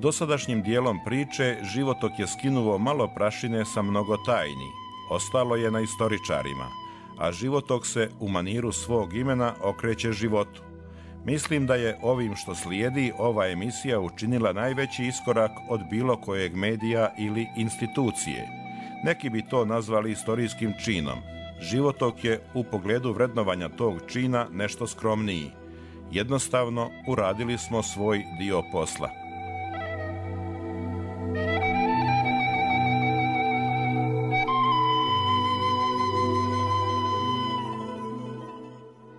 Dosadašnjim dijelom priče životok je skinuo malo prašine sa mnogo tajni. Ostalo je na istoričarima, a životok se u maniru svog imena okreće životu. Mislim da je ovim što slijedi ova emisija učinila najveći iskorak od bilo kojeg medija ili institucije. Neki bi to nazvali istorijskim činom. Životok je u pogledu vrednovanja tog čina nešto skromniji. Jednostavno, uradili smo svoj dio posla.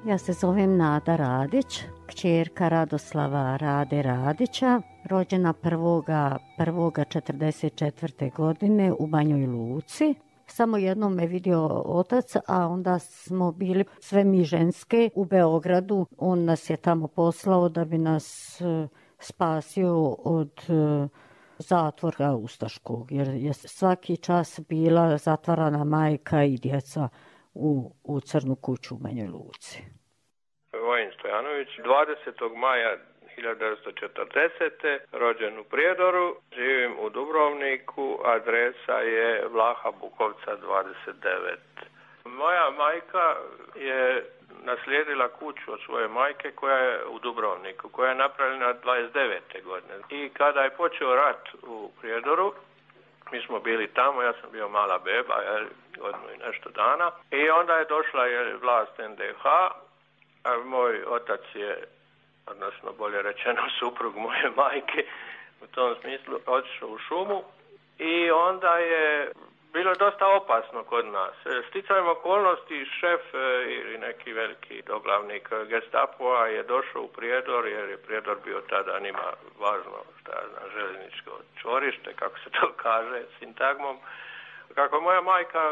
Ja se zovem Nada Radić, kćerka Radoslava Rade Radića, rođena prvoga prvog četrdeset četvrte godine u Banjoj Luci. Samo jednom me vidio otac, a onda smo bili sve mi ženske u Beogradu. On nas je tamo poslao da bi nas spasio od zatvora ustaškog, jer je svaki čas bila zatvarana majka i djeca u, u Crnu kuću u Banjoj Luci. Vojin Stojanović, dvadesetog maja hiljadu devetsto četrdesete. rođen u Prijedoru, živim u Dubrovniku, adresa je Vlaha Bukovca dvadeset devet. Moja majka je naslijedila kuću od svoje majke koja je u Dubrovniku, koja je napravljena dvadeset devete godine. I kada je počeo rat u Prijedoru, mi smo bili tamo, ja sam bio mala beba, jer, godinu i nešto dana, i onda je došla je vlast en de ha, a moj otac je, odnosno bolje rečeno suprug moje majke, u tom smislu otišao u šumu i onda je bilo dosta opasno kod nas. Sticajem okolnosti šef ili neki veliki doglavnik Gestapoa je došao u Prijedor, jer je Prijedor bio tada njima važno, šta ja znam, željezničko čvorište, kako se to kaže sintagmom. Kako je moja majka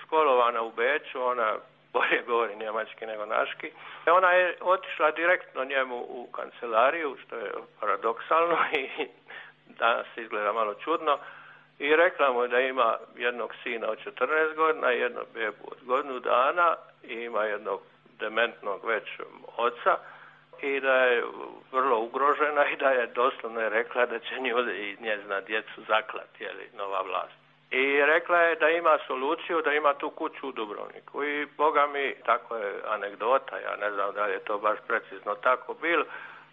školovana u Beču, ona bolje govori njemački nego naški. Ona je otišla direktno njemu u kancelariju, što je paradoksalno i danas izgleda malo čudno, i rekla mu da ima jednog sina od četrnaest godina, jednu bebu od godinu dana i ima jednog dementnog već oca i da je vrlo ugrožena i da je doslovno je rekla da će nju i njezina djecu zaklati, jeli, nova vlast. I rekla je da ima soluciju, da ima tu kuću u Dubrovniku. I boga mi, tako je anegdota, ja ne znam da je to baš precizno tako bilo,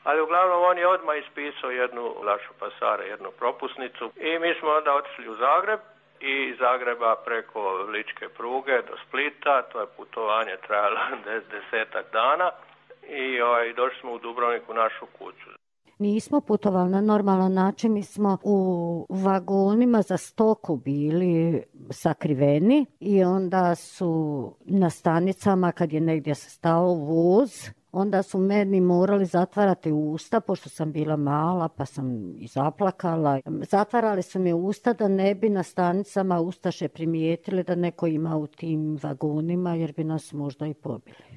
ali uglavnom on je odmah ispisao jednu lašu pasare, jednu propusnicu i mi smo onda otišli u Zagreb i iz Zagreba preko Ličke pruge do Splita, to je putovanje trajalo desetak dana i ovaj, došli smo u Dubrovnik u našu kuću. Nismo putovali na normalan način, mi smo u vagonima za stoku bili sakriveni i onda su na stanicama kad je negdje stao voz, onda su meni morali zatvarati usta, pošto sam bila mala pa sam i zaplakala. Zatvarali su mi usta da ne bi na stanicama ustaše primijetili da neko ima u tim vagonima, jer bi nas možda i pobili.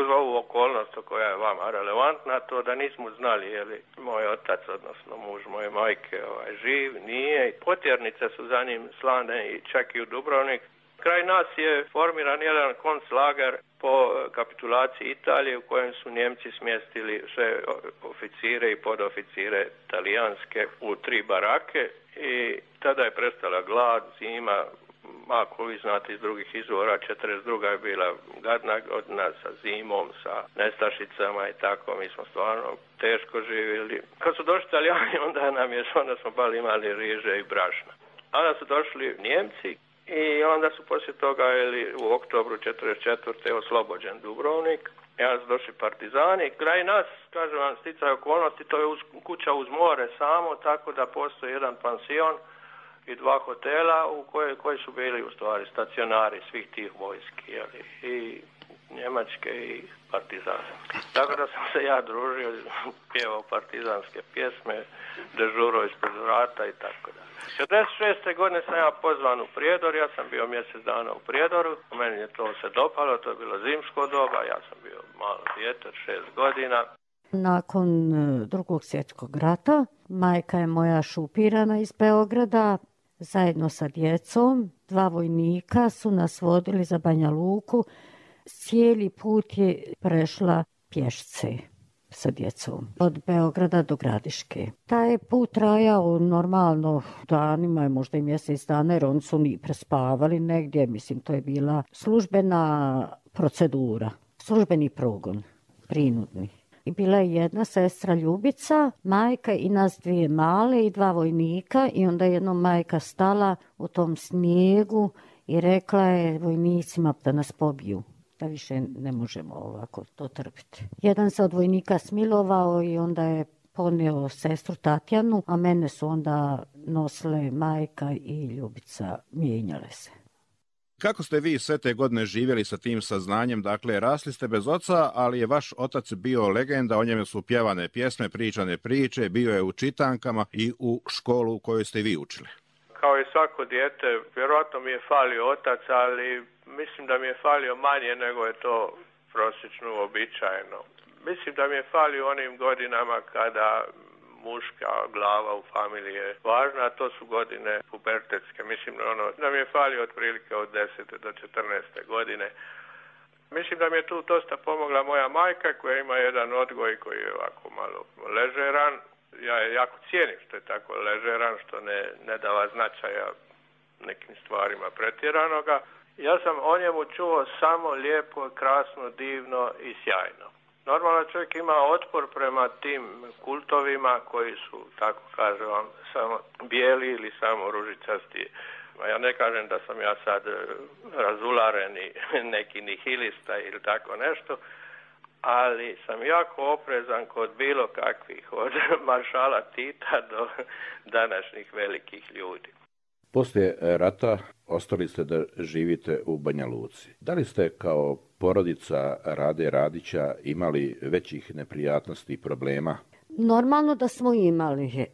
Uz ovu okolnost koja je vama relevantna, to da nismo znali je li moj otac, odnosno muž moje majke, ovaj, živ, nije. Potjernice su za njim slane i čak i u Dubrovnik. Kraj nas je formiran jedan konclager po kapitulaciji Italije u kojem su Njemci smjestili sve oficire i podoficire talijanske u tri barake i tada je prestala glad, zima. Ako vi znate iz drugih izvora, četrdeset druga je bila gadna godina sa zimom, sa nestašicama i tako, mi smo stvarno teško živjeli. Kad su došli Italijani, onda nam je, onda smo bali imali riže i brašna. Onda su došli Njemci i onda su poslije toga, ili u oktobru četrdeset četvrte oslobođen Dubrovnik, i onda su došli partizani. Kraj nas, kažem vam, sticaj okolnosti, to je uz, kuća uz more samo, tako da postoji jedan pansion i dva hotela u koje, koji su bili u stvari stacionari svih tih vojski, jeli, i njemačke i partizanske. Tako da sam se ja družio, pjevao partizanske pjesme, dežuro ispred vrata i tako da. četrdeset šeste godine sam ja pozvan u Prijedor, ja sam bio mjesec dana u Prijedoru, meni je to se dopalo, to je bilo zimsko doba, ja sam bio malo dijete, šest godina. Nakon drugog svjetskog rata, majka je moja šupirana iz Beograda, zajedno sa djecom, dva vojnika su nas vodili za Banja Luku. Cijeli put je prešla pješce sa djecom od Beograda do Gradiške. Taj put trajao normalno danima, možda i mjesec dana, jer oni su ni prespavali negdje. Mislim, to je bila službena procedura, službeni progon, prinudni. I bila je jedna sestra Ljubica, majka i nas dvije male i dva vojnika, i onda jednom majka stala u tom snijegu i rekla je vojnicima da nas pobiju, da više ne možemo ovako to trpiti. Jedan se od vojnika smilovao i onda je ponio sestru Tatjanu, a mene su onda nosile majka i Ljubica, mijenjale se. Kako ste vi sve te godine živjeli sa tim saznanjem? Dakle, rasli ste bez oca, ali je vaš otac bio legenda, o njemu su pjevane pjesme, pričane priče, bio je u čitankama i u školu u kojoj ste vi učili. Kao i svako dijete, vjerojatno mi je falio otac, ali mislim da mi je falio manje nego je to prosječno uobičajeno. Mislim da mi je falio onim godinama kada muška glava u familiji je važna, a to su godine pubertetske. Mislim ono, da mi je falio otprilike od desete do četrnaeste godine. Mislim da mi je tu dosta pomogla moja majka koja ima jedan odgoj koji je ovako malo ležeran. Ja je jako cijenim što je tako ležeran, što ne, ne dava značaja nekim stvarima pretjeranoga. Ja sam o njemu čuo samo lijepo, krasno, divno i sjajno. Normalno čovjek ima otpor prema tim kultovima koji su, tako kažem vam, samo bijeli ili samo ružičasti. Ja ne kažem da sam ja sad razularen i neki nihilista ili tako nešto, ali sam jako oprezan kod bilo kakvih, od maršala Tita do današnjih velikih ljudi. Poslije rata ostali ste da živite u Banja Luci. Da li ste kao porodica Rade Radića imali većih neprijatnosti i problema? Normalno da smo imali,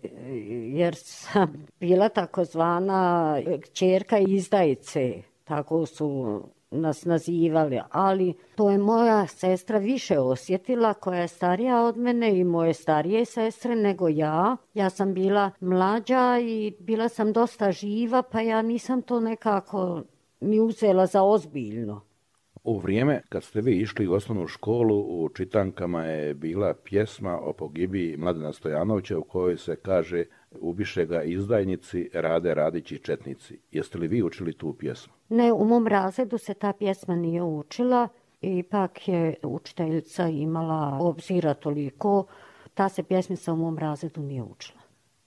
jer sam bila takozvana kćerka izdajice, tako su nas nazivali, ali to je moja sestra više osjetila, koja je starija od mene i moje starije sestre nego ja. Ja sam bila mlađa i bila sam dosta živa, pa ja nisam to nekako ni uzela za ozbiljno. U vrijeme kad ste vi išli u osnovnu školu, u čitankama je bila pjesma o pogibiji Mladena Stojanovića u kojoj se kaže ubiše ga izdajnici, Rade Radić i četnici. Jeste li vi učili tu pjesmu? Ne, u mom razredu se ta pjesma nije učila, ipak je učiteljica imala obzira toliko, ta se pjesmica u mom razredu nije učila.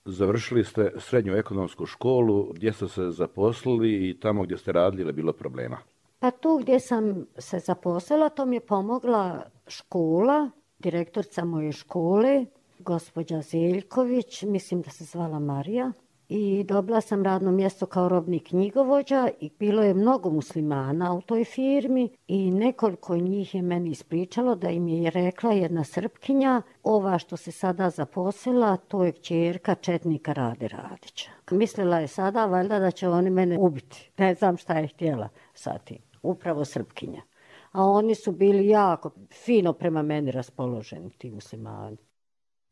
Završili ste srednju ekonomsku školu, gdje ste se zaposlili i tamo gdje ste radili je bilo problema? Pa tu gdje sam se zaposlila, to mi je pomogla škola, direktorica moje škole, gospođa Zeljković, mislim da se zvala Marija. I dobila sam radno mjesto kao robni knjigovođa i bilo je mnogo muslimana u toj firmi i nekoliko njih je meni ispričalo da im je rekla jedna Srpkinja, ova što se sada zaposlila, to je kćerka četnika Rade Radića. Mislila je sada valjda da će oni mene ubiti. Ne znam šta je htjela sa tim. Upravo Srpkinja. A oni su bili jako fino prema meni raspoloženi, ti muslimani.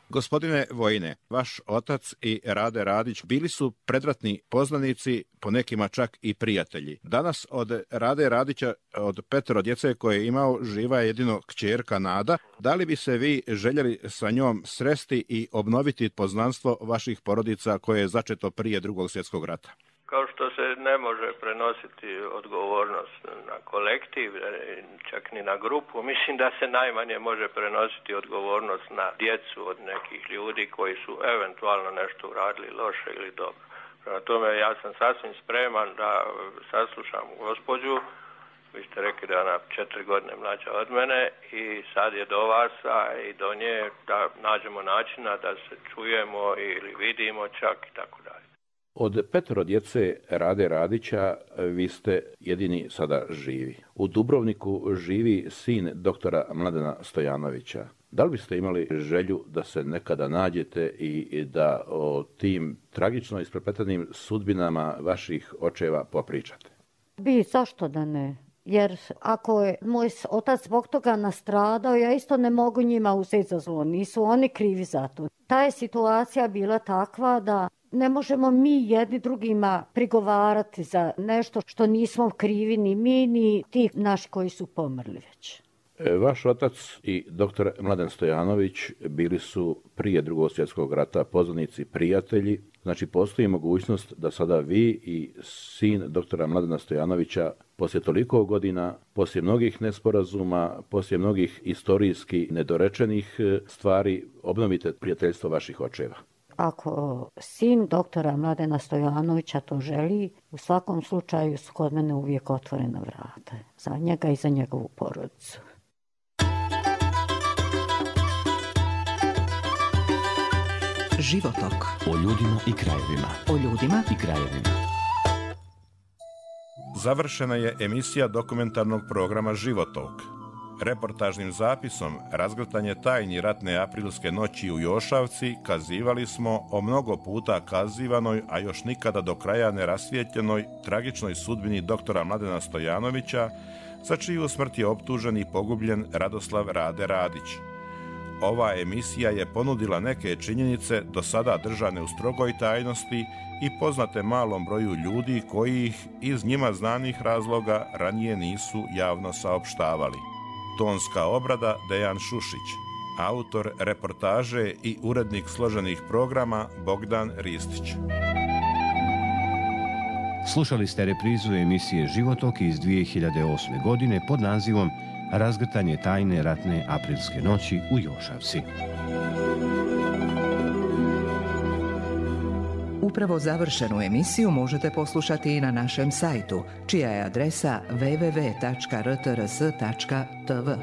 Gospodine Vojine, vaš otac i Rade Radić bili su predratni poznanici, po nekima čak i prijatelji. Danas od Rade Radića, od petero djece koje je imao, živa je jedino kćerka Nada. Da li bi se vi željeli sa njom sresti i obnoviti poznanstvo vaših porodica koje je začeto prije Drugog svjetskog rata? Kao što se ne može prenositi odgovornost na kolektiv, čak ni na grupu, mislim da se najmanje može prenositi odgovornost na djecu od nekih ljudi koji su eventualno nešto uradili loše ili dobro. Prema tome ja sam sasvim spreman da saslušam gospođu, vi ste rekli da je ona četiri godine mlađa od mene i sad je do vas i do nje da nađemo načina da se čujemo ili vidimo čak i tako dalje. Od petero djece Rade Radića vi ste jedini sada živi. U Dubrovniku živi sin doktora Mladena Stojanovića. Da li biste imali želju da se nekada nađete i da o tim tragično isprepletenim sudbinama vaših očeva popričate? Bi, zašto da ne? Jer ako je moj otac zbog toga nastradao, ja isto ne mogu njima uzeti za zlo. Nisu oni krivi za to. Ta je situacija bila takva da ne možemo mi jedni drugima prigovarati za nešto što nismo krivi ni mi, ni ti naši koji su pomrli već. Vaš otac i doktor Mladen Stojanović bili su prije Drugog svjetskog rata poznanici, prijatelji. Znači postoji mogućnost da sada vi i sin doktora Mladena Stojanovića poslije toliko godina, poslije mnogih nesporazuma, poslije mnogih istorijski nedorečenih stvari obnovite prijateljstvo vaših očeva. Ako sin doktora Mladena Stojanovića to želi, u svakom slučaju su kod mene uvijek otvorena vrata. Za njega i za njegovu porodicu. Životok. O ljudima i krajevima. O ljudima i krajevima. završena je emisija dokumentarnog programa Životok. Reportažnim zapisom Razgrtanje tajni ratne aprilske noći u Jošavci kazivali smo o mnogo puta kazivanoj, a još nikada do kraja nerasvijetljenoj tragičnoj sudbini doktora Mladena Stojanovića, za čiju smrt je optužen i pogubljen Radoslav Rade Radić. Ova emisija je ponudila neke činjenice do sada držane u strogoj tajnosti i poznate malom broju ljudi koji ih iz njima znanih razloga ranije nisu javno saopštavali. Tonska obrada Dejan Šušić, autor reportaže i urednik složenih programa Bogdan Ristić. Slušali ste reprizu emisije Životok iz dvije hiljade osme. godine pod nazivom Razgrtanje tajne ratne aprilske noći u Jošavci. Upravo završenu emisiju možete poslušati i na našem sajtu, čija je adresa w w w tačka r t r s tačka t v.